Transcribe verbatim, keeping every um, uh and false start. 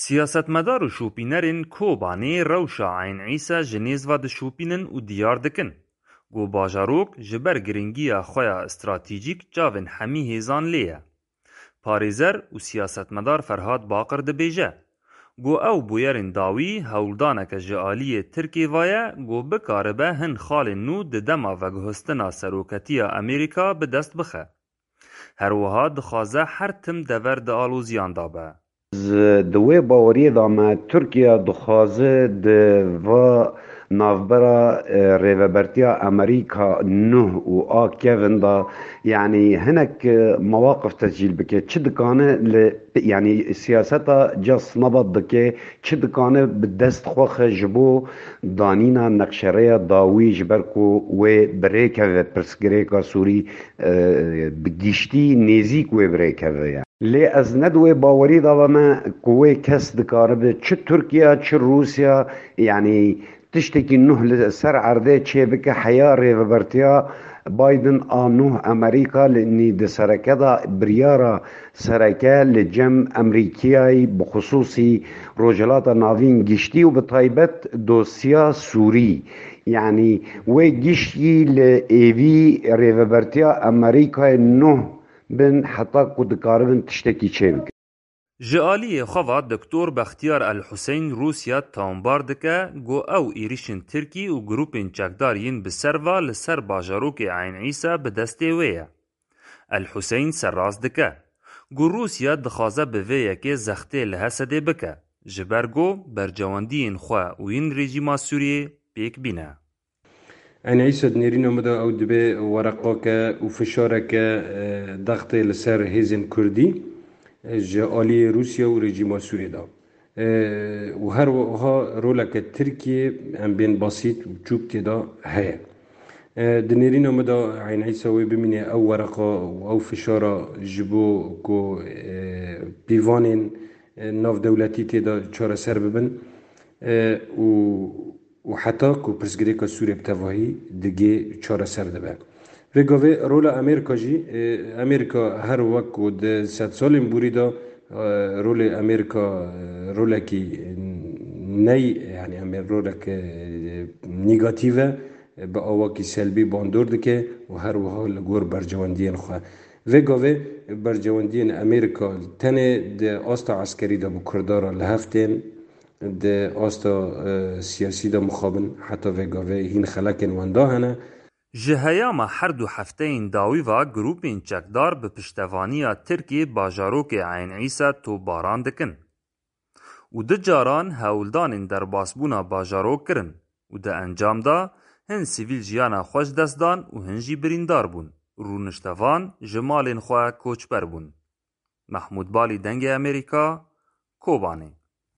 Siyasetmedar û şopînerên Kobanê rewşa Eyn Îsa ji nêz ve dişopînin û diyar dikin ku bajarok ji ber giringiya xwe ya stratejîk çavên hemî hêzan lê ye. Parêzer û siyasetmedar Ferhat Baqir dibêje ku ew bûyerên dawî hewldaneke ji aliyê Tirkê ve ye ku bikaribe hin xalên nû di dema veguhestina seroketiya Amerîka bi dest bixe. Her wiha dixwaze her tim dever di aloziyan de be. Di wê baweriyê de me Tirkiye dixwaze di va navbera, e, rêvebertiya Amerîka nuh û a kevin de, yanî hinek, e, mewaqif tescîl bike. Çi dikane li, yanî siyaseta ca sinabat dike, çi dikane bi dest xwe xe ji bo danîna nexşereya dawî ji ber ku wê bi rê keve pirsgirêka Sûrî, e, bi giştî nêzîk wê bi rê keve ye. Lê ez ne di wê bawerî de me ku wê kes dikaribe çi Tirkiye çi Rûsya, yanî tiştekî nuh li ser erdê çêbike heya rêvebertiya Biden a nuh Amerîka li nî di sereke de biryara sereke li cem Amerîkiyayî bi xisûsî Rojhilata Navîn giştî û bi taybet dosya Sûrî. Yanî wê giştî li êvî rêvebertiya Amerîkayê nuh bin heta ku dikaribin tiştekî çêbikin. Ji aliyê xwe ve Doktor Bextiyar El Huseyn Rûsya tawanbar dike ku ew êrişên Tirkî û grûpên çekdar yên bi ser ve li ser bajarokê Eyn Îsa bi destê wê ye. El Huseyn serrast dike ku Rûsya dixwaze bi vê yekê zextê li Hesedê bike, ji ber ku bercewendiyên xwe û yên rejîma Sûriyê pêk bîne. Eyn Îsa di nêrîna min de ew dibe wereqake û fişareke, e, dextê li ser hêzên Kurdî, e, ji aliyê Rûsya û rejîma Sûriyê de. E, û her wiha roleke Tirkiyê em bên basît û çûk tê de heye. E, di nêrîna min de Eyn Îsa wê bimîne ew wereqa û ew fişara ji bo ku, e, pîvanên, e, navdewletî tê de çareser bibin, e, û û heta ku pirsgirêka Sûriyê bi tevahî digê çareser dibe. Vê gavê rola Amerîka jî, e, Amerîka her wek ku di sedsalên borî de, e, rolê Amerîka, e, rolekî ney, yanî Amer-, rolek, e, negatîf e, bi awakî selbî bandor dike û her wiha li gor bercewendiyên xwe. Vê gavê bercewendiyên Amerîka tenê di asta eskerî de bi Kurda re li hev tên, di asta, e, siyasî de mixabin heta vê gavê hîn xelekên wenda hene. Ji heyama her du hefteyên dawî ve grûpên çekdar bi piştevaniya Tirkiyê bajarokê Eyn Îsa topbaran dikin û du caran hewldanên derbasbûna bajarok kirin û di encam de hin sivîl jiyana xwe ji dest dan û hin jî birîndar bûn. Rûniştevan ji malên xwe koçber bûn. Mehmûd Balî, Dengê Amerîka, Kobanê.